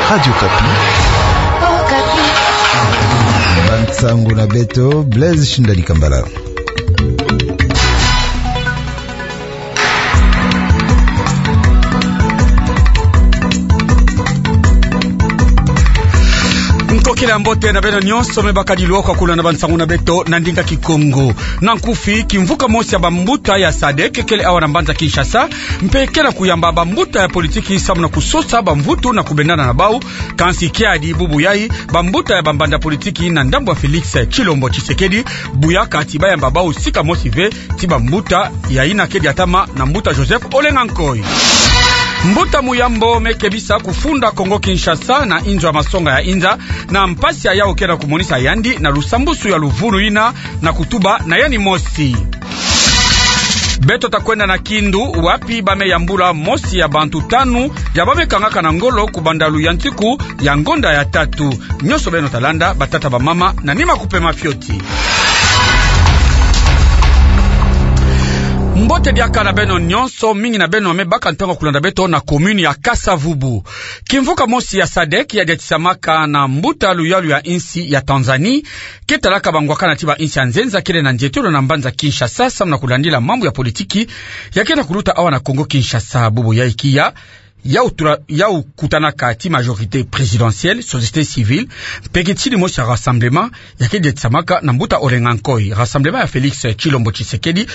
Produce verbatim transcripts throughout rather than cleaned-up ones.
Radio Okapi. Bansangu na beto, Blaise Shindani Kambala. Nkokila mbote na beno nyonso me bakadi lwaka kulanda bansangu na beto na ndinga Kikongo. Na nkufi, kimvuka mosi ya bambuta ya sadek kele awa na mbanza Kinshasa, mpe ke na kuyamba bambuta ya politiki samu na kusosa bamvutu na kubendana na bau. Kansi kiadi bubu yai, bambuta ya bambanza politiki na ndambu ya Félix Tshilombo Tshisekedi, buyaka ti bayamba bau sika mosi ve ti bambuta ya ina ke diatama na mbuta Joseph Olenga Nkoy. Mbuta Muyambo me kebisa kufunda Kongo Kinshasa na inzo ya masonga ya inza, na mpasi ya yau ke na kumonisa yandi na lusambusu ya luvunu ina na kutuba na yandi mosi. Beto ta kwenda na Kindu, wapi ba me yambula mosi ya bantu tanu ya ba me kangaka na ngolo kubanda luyantiku ya ngonda ya tatu. Nyonso beno ta landa, batata, bamama, na nima kupema fioti. Mbote diaka na beno nyonso, mingi na beno me baka ntangu ya kulanda beto na commune ya Kasa-Vubu. Kimvuka mosi ya sadek ya diatisamaka na mbuta luyalu ya insi ya Tanzanie, ke talaka bangwakana ti ba insi ya nzenza kele na ndietolo na mbanza Kinshasa, samu na kulandila mambu ya politiki ya ke na kuluta awa na Kongo Kinshasa. Bubu yai kia, yau tura-, yau kutanaka ti majorité présidentielle, société civile, mpe ke tini mosi ya rassemblement ya ke diatisamaka na mbuta Olenga Nkoy. Rassemblement ya Félix Tshilombo Tshisekedi,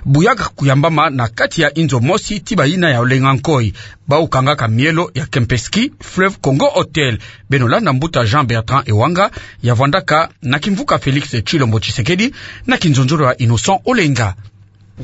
buyaka kuyambama na kati ya inzo mosi ti bayina ya Olenga Nkoy, bau kangaka mielo ya Kempinski Fleuve Congo Hotel. Beno landa mbuta Jean Bertrand Ewanga, ya vwandaka na kimvuka Félix Tshilombo Tshisekedi na kinzonzolo ya Innocent Olenga.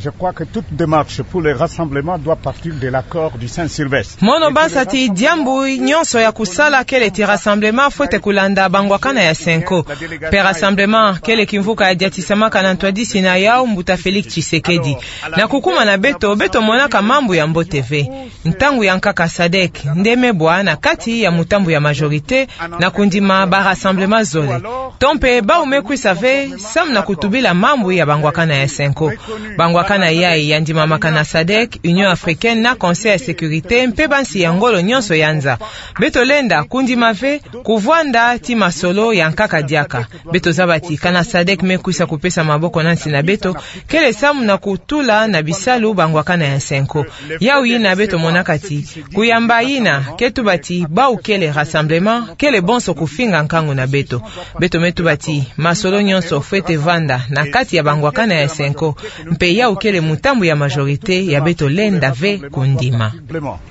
Je crois que toute démarche pour les rassemblements doit partir de l'accord du Saint-Sylvestre. Mono bansa ti diambu nyonso ya kusala kele ti rassemblement fwete kulanda bangwakana ya Cenco. Mpe rassemblement kele kimvuka ya diatisamaka na ntwadisi na yau mbuta Félix Tshisekedi. Na kukuma na beto, beto monaka mambu ya mbote ve. Ntangu ya nkaka sadek nde me bwa na kati ya mutambu ya majorité na kundima ba rassemblement zole. To mpe bau me kwisa ve samu na kutubila mambu ya bangwakana ya Cenco. Bangwakana yai ya ndimamaka na sadek, Union africaine na Conseil ya sécurité, mpe bansi ya ngolo nyonso ya nza. Beto lenda kundima ve kuvwanda ti masolo ya nkaka diaka. Beto zaba ti kana sadek me kwisa kupesa maboko na nsi na beto, kele samu na kutula na bisalu bangwakana ya Cenco. Yau yina beto monaka ti kuyamba yina ke tuba ti bau kele rassemblement, kele bonso kufinga nkangu na beto. Beto me tuba ti masolo nyonso fwete vanda na kati ya bangwakana ya Cenco, mpe yau kele mutambu ya majorité ya beto lenda ve kundima.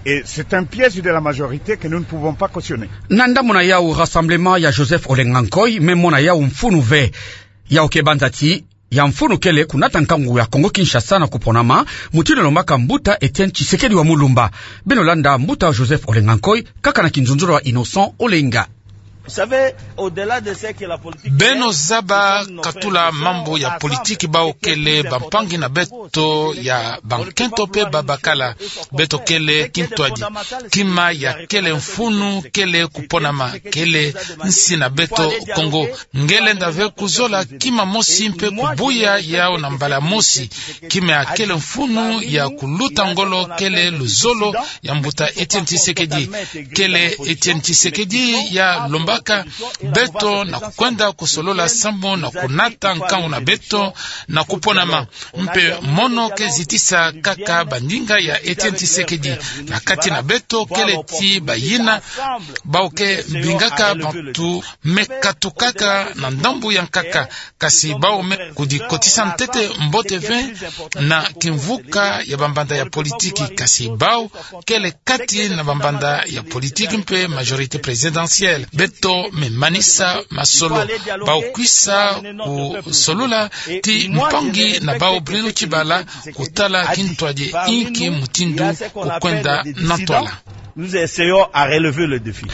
Et c'est un piège de la majorité que nous ne pouvons pas cautionner. Na ndambu na yau, rassemblement ya Joseph Olenga Nkoy me mona yau mfunu ve. Yau ke banza ti ya mfunu kele kunata nkangu ya Kongo Kinshasa na kuponama, mutindu lombaka mbuta Étienne Tshisekedi wa Mulumba. Beno landa mbuta Joseph Olenga Nkoy, kaka na kinzonzolo ya Innocent Olenga. Beno zaba katula mambu ya politiki, bau kele bampangi na beto ya bankento mpe babakala. Beto kele kintwadi. Kima ya kele mfunu kele kuponama, kele nsi na beto Kongo. Nge lenda ve kuzola kima mosi mpe kubuya yau na mbala mosi. Kima ya kele mfunu ya kuluta ngolo kele luzolo ya mbuta Étienne Tshisekedi. Kele Étienne Tshisekedi ya lombaka beto na kukwenda kusolola sambu na kunata nkangu na beto na kuponama. Mpe mono ke zitisa kaka bandinga ya Étienne Tshisekedi. Na kati na beto kele ti bayina bau ke bingaka bantu me katukaka na ndambu ya nkaka, kasi bau me kudikotisa ntete mbote ve na kimvuka ya bambanza ya politiki, kasi bau kele kati na bambanza ya politiki mpe majorité présidentielle. Beto me manisa masolo. Bau kwisa kusolola ti mpangi na bau Bruno Tshibala kutala kintwadi inki mutindu kukwenda na ntwala. Nous essayons à relever le défi.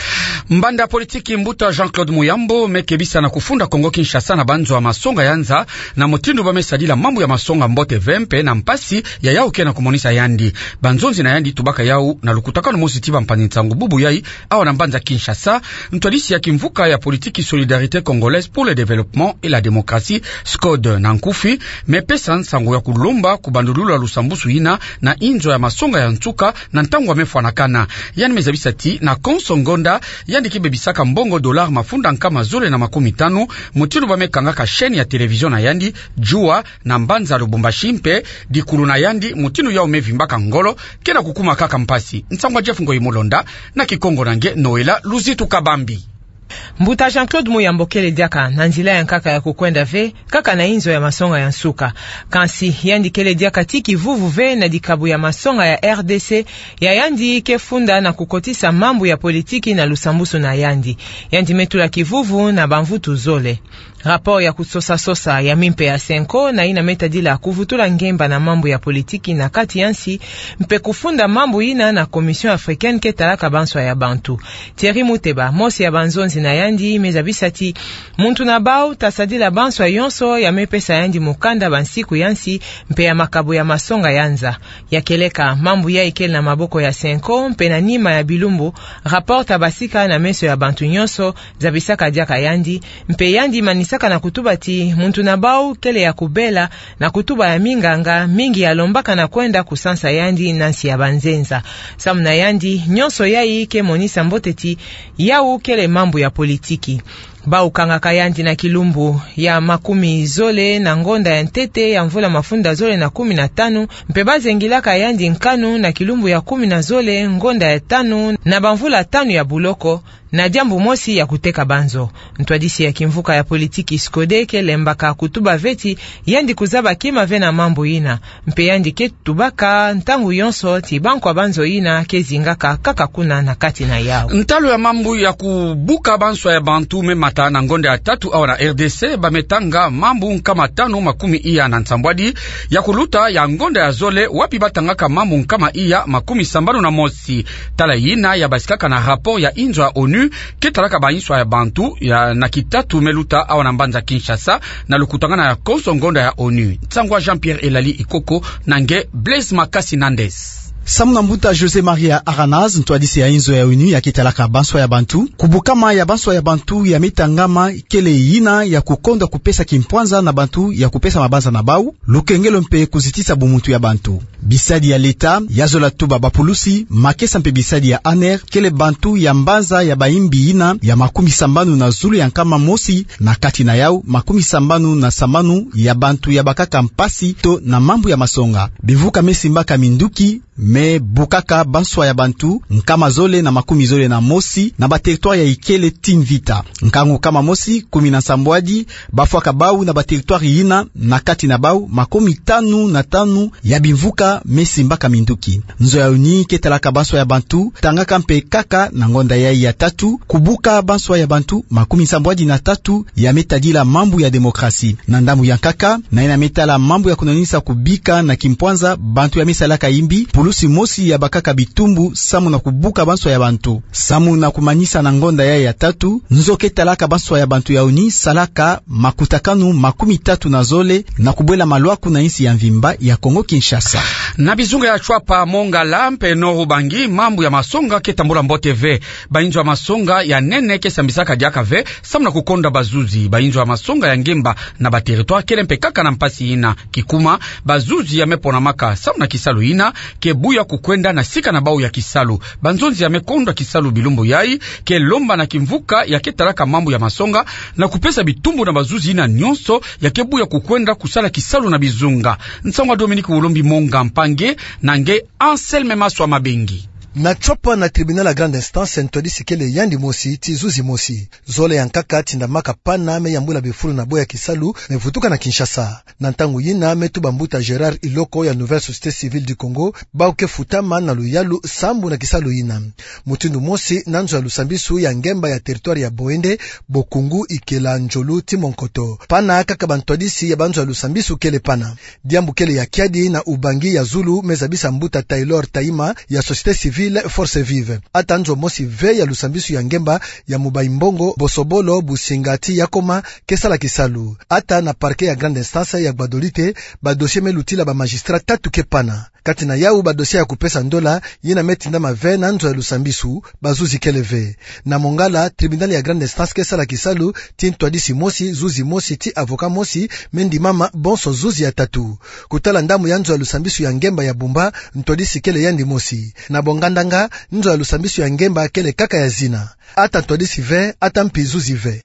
Mbanza politiki mbuta Jean-Claude Muyambo me kebisa na kufunda Kongo Kinshasa na banzo ya masonga ya nza, na mutindu ba me sadila mambu ya masonga mbote ve mpe na mpasi ya yau ke na kumonisa yandi. Banzonzi na yandi tubaka yau na lukutakanu mosi ti bampangi nsangu bubu yai awa na mbanza Kinshasa, ntwadisi ya kimvuka ya politiki Solidarité Congolaise pour le Développement et la Démocratie, SCODE na nkufi, me pesa nsangu ya kulomba kubandulula lusambusu yina na inzo ya masonga ya nsuka na ntangu ya me fwanakana. Yandi me zabisa ti na konso ngonda yandi ke bebisaka mbongo dollar mafunda nkama zole na makumi tanu, mutindu ba me kangaka chaîne ya télévision na yandi, Jua, na mbanza Lubumbashi mpe dikulu na yandi, mutindu yau me vimbaka ngolo, ke na kukuma kaka mpasi. Nsangu ya Jeff Ngoyi Mulonda, na Kikongo na nge Noëlla Luzitu Kabambi. Mbuta Jean-Claude Muyambo kele diaka na nzila ya nkaka ya kukwenda ve, kaka na inzo ya masonga ya nsuka. Kansi, yandi kele diaka ti kivuvu ve na dikabu ya masonga ya R D C, ya yandi ke funda na kukotisa mambu ya politiki na lusambusu na yandi. Yandi me tula kivuvu na bamvutu zole. Rapport ya kusosa-sosa ya mimpe ya CENCO, na yina me tadila kuvutula ngemba na mambu ya politiki na kati ya nsi, mpe kufunda mambu yina na Commission africaine ke talaka banswa ya bantu. Thierry Muteba, mosi ya banzonzi na yandi, me zabisa ti muntu na bau ta sadila banswa yonso ya me pesa yandi mukanda bansiku ya nsi, mpe ya makabu ya masonga ya nza. Ya kieleka, mambu yai kele na maboko ya CENCO, mpe na nima ya bilumbu, rapport ta basika na meso ya bantu nyonso, zabisaka diaka yandi, mpe yandi manisaka na kutuba ti muntu na bau kele ya kubela na kutuba ya minganga mingi ya lombaka na kwenda kusansa yandi na nsi ya banzenza. Samu na yandi, nyonso yai ke monisa mbote ti yau kele mambu ya politiki. Bau kangaka yandi na kilumbu ya makumi zole na ngonda ya ntete ya mvula mafunda zole na kumi na tanu, mpe ba zengilaka yandi nkanu na kilumbu ya kumi na zole ngonda ya tanu na bamvula tanu ya buloko, na diambu mosi ya kuteka banzo. Ntwadisi ya kimvuka ya politiki Scodé ke lembaka kutuba ve ti yandi kuzaba kima ve na mambu yina, mpe yandi ke tubaka ntangu yonso ti bankwa banzo yina ke zingaka kaka kuna na kati na yau. Ntalu ya mambu ya kubuka banswa ya bantu me mata na ngonda ya tatu awa na R D C, ba me tanga mambu nkama tanu makumi iya na nsambwadi, ya kuluta ya ngonda ya zole, wapi ba tangaka mambu nkama iya makumi sambanu na mosi. Tala yina ya basikaka na rapport ya inzo ya ONU, ke talaka banswa ya bantu, ya na kitatu me luta awa na mbanza Kinshasa, na lukutangana ya konso ngonda ya ONU. Nsangu ya Jean-Pierre Elali Ikoko, na nge Blaise Makasi Nandes. Samu na mbuta José Maria Aranaz, ntwadisi ya inzo ya ONU ya ke talaka banswa ya bantu, kubukama ya banswa ya bantu ya me tangama kele yina ya kukonda kupesa kimpwanza na bantu ya kupesa mabanza na bau, lukengelo mpe kuzitisa bumuntu ya bantu. Bisadi ya leta, ya zola tuba bapulusi, makesa mpe bisadi ya ANR, kele bantu ya mbanza ya bayimbi yina ya makumi sambanu na zulu ya nkama mosi, na kati na yau, makumi sambanu na sambanu ya bantu ya bakaka mpasi to na mambu ya masonga. Bimvuka me simbaka minduki, me bukaka banswa ya bantu, nkama zole na makumi zole na mosi, na bateritware ya Ikele ti Mvita. Nkangu nkama mosi, kumi na nsambwadi, ba fwaka bau na bateritware yina, na kati na bau, makumi tanu na tanu ya bimvuka me simbaka minduki. Nzo ya ONU ke talaka banswa ya bantu, tangaka mpe kaka na ngonda yai ya tatu, kubuka banswa ya bantu, makumi nsambwadi na tatu, ya me tadila mambu ya demokrasi. Na ndambu ya nkaka, na yina me tala mambu ya kunwanisa kubika na kimpwanza bantu ya me salaka yimbi, pulusi mosi ya bakaka bitumbu samu na kubuka banswa ya bantu. Samu na kumanisa na ngonda yai ya tatu, nzo ke talaka banswa ya bantu ya ONU salaka makutakanu makumi tatu na zole na kubwela malwaku na insi ya mvimba ya Kongo Kinshasa. Na bizunga ya Tshuapa, Mongala mpe Nord-Ubangi, mambu ya masonga ke tambula mbote ve. Bainzo ya masonga ya nene ke sambisaka diaka ve, samu na kukonda bazuzi. Bainzo ya masonga ya ngemba na bateritware kele mpe kaka na mpasi yina. Kikuma, bazuzi ya me ponamaka samu na kisalu yina ke buya kukwenda na sika na bau ya kisalu. Banzonzi ya me konda kisalu bilumbu yai ke lomba na kimvuka ya ke talaka mambu ya masonga na kupesa bitumbu na bazuzi yina nyonso ya ke buya kukwenda kusala kisalu na bizunga. Nsangu ya Dominique Wolombi Monga, mpangi na nge Anselme Maswa Mabengi. Na Tshuapa, na tribunal ya grande instance, ntwadisi kele yandi mosi ti zuzi mosi. Zole ya nkaka tindamaka pana me yambula bifulu na bo ya kisalu me vutuka na Kinshasa. Na ntangu yina me tuba mbuta Gérard Iloko ya Nouvelle Société Civile du Congo, bau ke futama na luyalu sambu na kisalu yina. Mutindu mosi na nzo ya lusambisu ya ngemba ya territoire ya Boende, Bokungu, Ikela, Njolu ti Monkoto. Pana kaka bantwadisi ya banzo ya lusambisu kele pana. Diambu kele ya kiadi na Ubangi ya zulu, me zabisa mbuta Taylor Taima ya Société Civile Force Vive. Ata nzo mosi ve ya lusambisu ya ngemba ya Mubai Mbongo, Bosobolo, Businga ti Yakoma, ke sala kisalu. Ata na parquet ya grande instance ya Gbadolite, ba dossier me lutila ba magistrat tatu ke pana. Kati na yau ba dossier ya kupesa ndola, yina me tindama ve na nzo ya lusambisu, bazuzi kele ve. Na Mongala, tribunal ya grande instance ke sala kisalu ti ntwadisi mosi, zuzi mosi ti avocat mosi, me ndimama bonso zuzi ya tatu. Kutala ndambu ya nzo ya lusambisu ya ngemba ya Bumba, ntwadisi kele yandi mosi. Na Bongana, ndanga, nzo ya lusambisi ya ngemba kele kaka ya zina. Ata ntwadisi ve, ata mpi zuzi ve.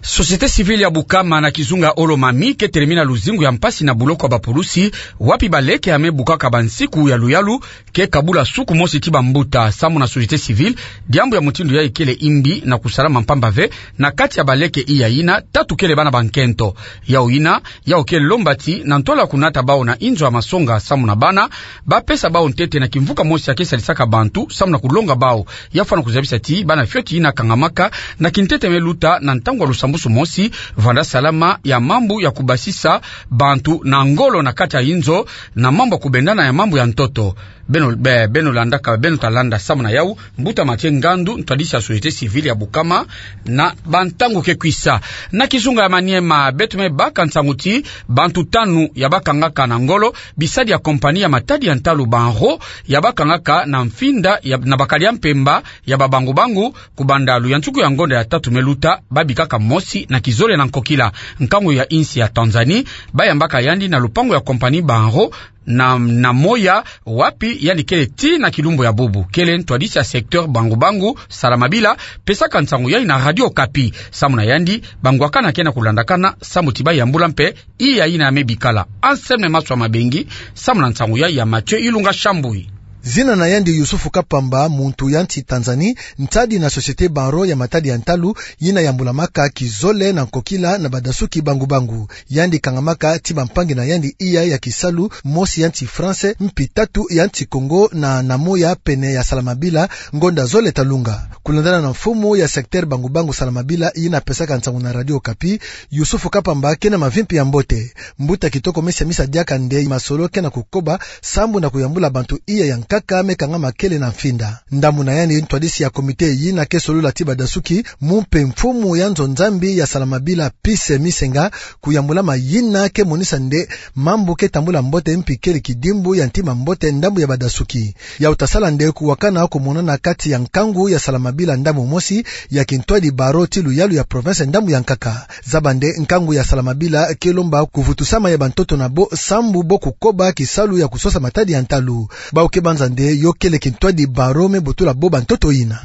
Société civile ya Bukama na kizunga Olomami ke telemina luzingu ya mpasi na buloko ya bapulusi, wapi baleke ya me bukaka bansiku ya luyalu ke kabula suku mosi ti bambuta. Samu na société civile, diambu ya mutindu yayi kele imbi na kusalama mpamba ve na kati ya baleke iya ina, tatu kele bana bankento. Yau ina, yau ke lomba ti na ntwala kunata bau na inzo ya masonga samu na bana, bapesa bau ntete na kimvuka mosi ya ke salisaka bantu samu na kulonga bau. Ya fwana kuzabisa ti bana fioti ina kangamaka na kintete me luta na ntangu ya lusambusu mosi, vanda salama ya mambu ya kubasisa bantu na ngolo na kati ya inzo, na mambu ya kubendana ya mambu ya ntoto. Beno, be-, beno landaka, beno ta landa samu na yau, mbuta Mathieu Ngandu, ntwadisi ya société civile ya Bukama, na bantangu ke kwisa. Na kizunga ya Maniema, beto me baka nsangu ti bantu tanu ya bakangaka na ngolo bisadi ya compagnie ya matadi ya ntalu Banro, ya bakangaka na mfinda ya, na bakadi ya mpemba ya babangu-bangu, kubanda luyantiku ya ngonda ya tatu me luta, babikaka mosi na kizole na nkokila. Nkangu ya insi ya Tanzanie, bayambaka yandi na lupangu ya compagnie Banro, na, na moya, wapi yandi kele tii na kilumbu ya bubu. Kele ntwadisi ya secteur bangu-bangu, Salamabila, pesaka nsangu yayi na Radio Okapi. Samu na yandi, bangwakana ke na kulandakana samu ti bayambula mpe iya ina ya me bikala. Anselme Maswa Mabengi, samu na nsangu yayi ya Mathieu Ilunga Shambui. Zina na yandi Yusufu Kapamba, muntu ya nsi Tanzanie, ntadi na société Banro ya matadi ya ntalu, yina yambulamaka kizole na nkokila na badasuki bangu-bangu. Yandi kangamaka ti bampangi na yandi iya ya kisalu, mosi ya nsi France, mpi tatu ya nsi Congo, na, na moya pene ya Salamabila, ngonda zole ta lunga. Kulandana na mfumu ya secteur bangu-bangu Salamabila, yina pesaka nsangu na Radio Okapi, Yusufu Kapamba ke na mavimpi ya mbote. Mbuta kitoko me siamisa diaka nde masolo ke na kukoba, sambu na kuyambula bantu iya ya nkaka me kangama kele na mfinda. Ndambu na yandi ntwadisi ya comité yina ke solola ti badasuki, mu mpe mfumu ya nzo Nzambi ya Salamabila Peace Misenga, kuyambula ma yina ke monisa nde mambu ke tambula mbote mpi kele kidimbu ya ntima mbote ndambu ya badasuki. Yau ta sala nde kuwakana kumonana kati ya nkangu ya Salamabila ndambu mosi, ya kintwadi Banro ti luyalu ya province ndambu ya nkaka. Zaba nde nkangu ya Salamabila ke lomba kuvutusama ya bantoto na bo sambu bo kukoba kisalu ya kusosa matadi ya ntalu. Bau ke banza nde yo kele kintwadi Banro me butula bo bantoto yina.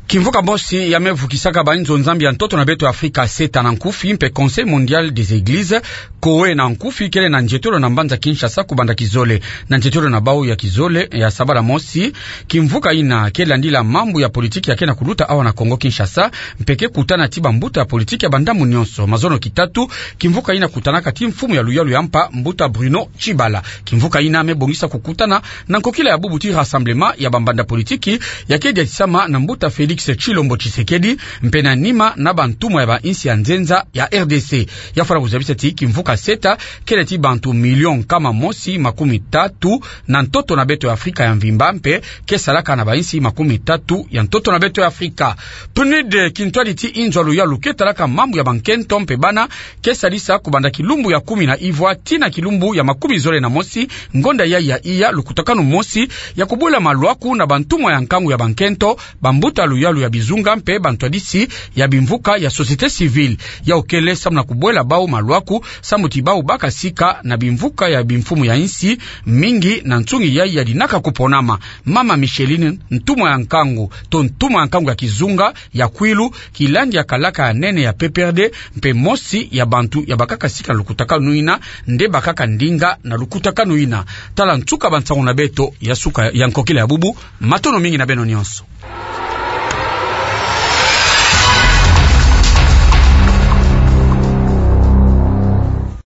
Kimvuka mosi ya me vukisaka bainzo Nzambi ya ntoto na beto Afrika, CETA na nkufi, mpe Conseil Mondial des Églises, COE na nkufi, kele na nzietolo na mbanza Kinshasa kubanda kizole. Na nzietolo na bau ya kizole ya sabala mosi, kimvuka yina ke landila mambu ya politiki ya ke na kuluta awa na Congo Kinshasa, mpe ke kutana ti bambuta ya politiki ya bandambu nyonso. Mazono kitatu, kimvuka yina kutanaka ti mfumu ya luyalu ya mpa, mbuta Bruno Tshibala. Kimvuka yina me bongisa kukutana na nkokila ya bubu ti Rassemblement ya bambanda politiki, ya ke diatisama na mbuta Félix Tshilombo Tshisekedi, mpe na nima na bantumwa ya bainsi ya nzenza ya R D C. Ya fwana kuzabisa ti kimvuka CETA kele ti bantu million nkama mosi makumi tatu na ntoto na beto ya Afrika ya mvimba, mpe ke salaka na bainsi makumi tatu ya ntoto na beto ya Afrika. PNUD, kintwadi ti inzo ya luyalu ke talaka mambu ya bankento mpe bana, ke sadisa kubanda kilumbu ya kumi na ivwa tii na kilumbu ya makumi zole na mosi, ngonda yayi ya iya, lukutakanu mosi ya kubwela malwaku na bantumwa ya nkangu ya bankento, bambuta luyalu ya bizunga mpe bantwadisi ya bimvuka ya société civile. Yau kele samu na kubwela bau malwaku, samu ti bau bakasika na bimvuka ya bimfumu ya insi mingi na nsungi yayi ya dinaka kuponama. Mama Micheline, ntumwa ya nkangu, to ntumwa ya nkangu ya kizunga ya Kwilu, kilandi ya kalaka ya nene ya P P R D, mpe mosi ya bantu ya bakaka sika na lukutakanu yina, nde bakaka ndinga na lukutakanu yina. Tala nsuka bansangu na beto ya suka ya nkokila ya bubu, matondo mingi na beno nyonso.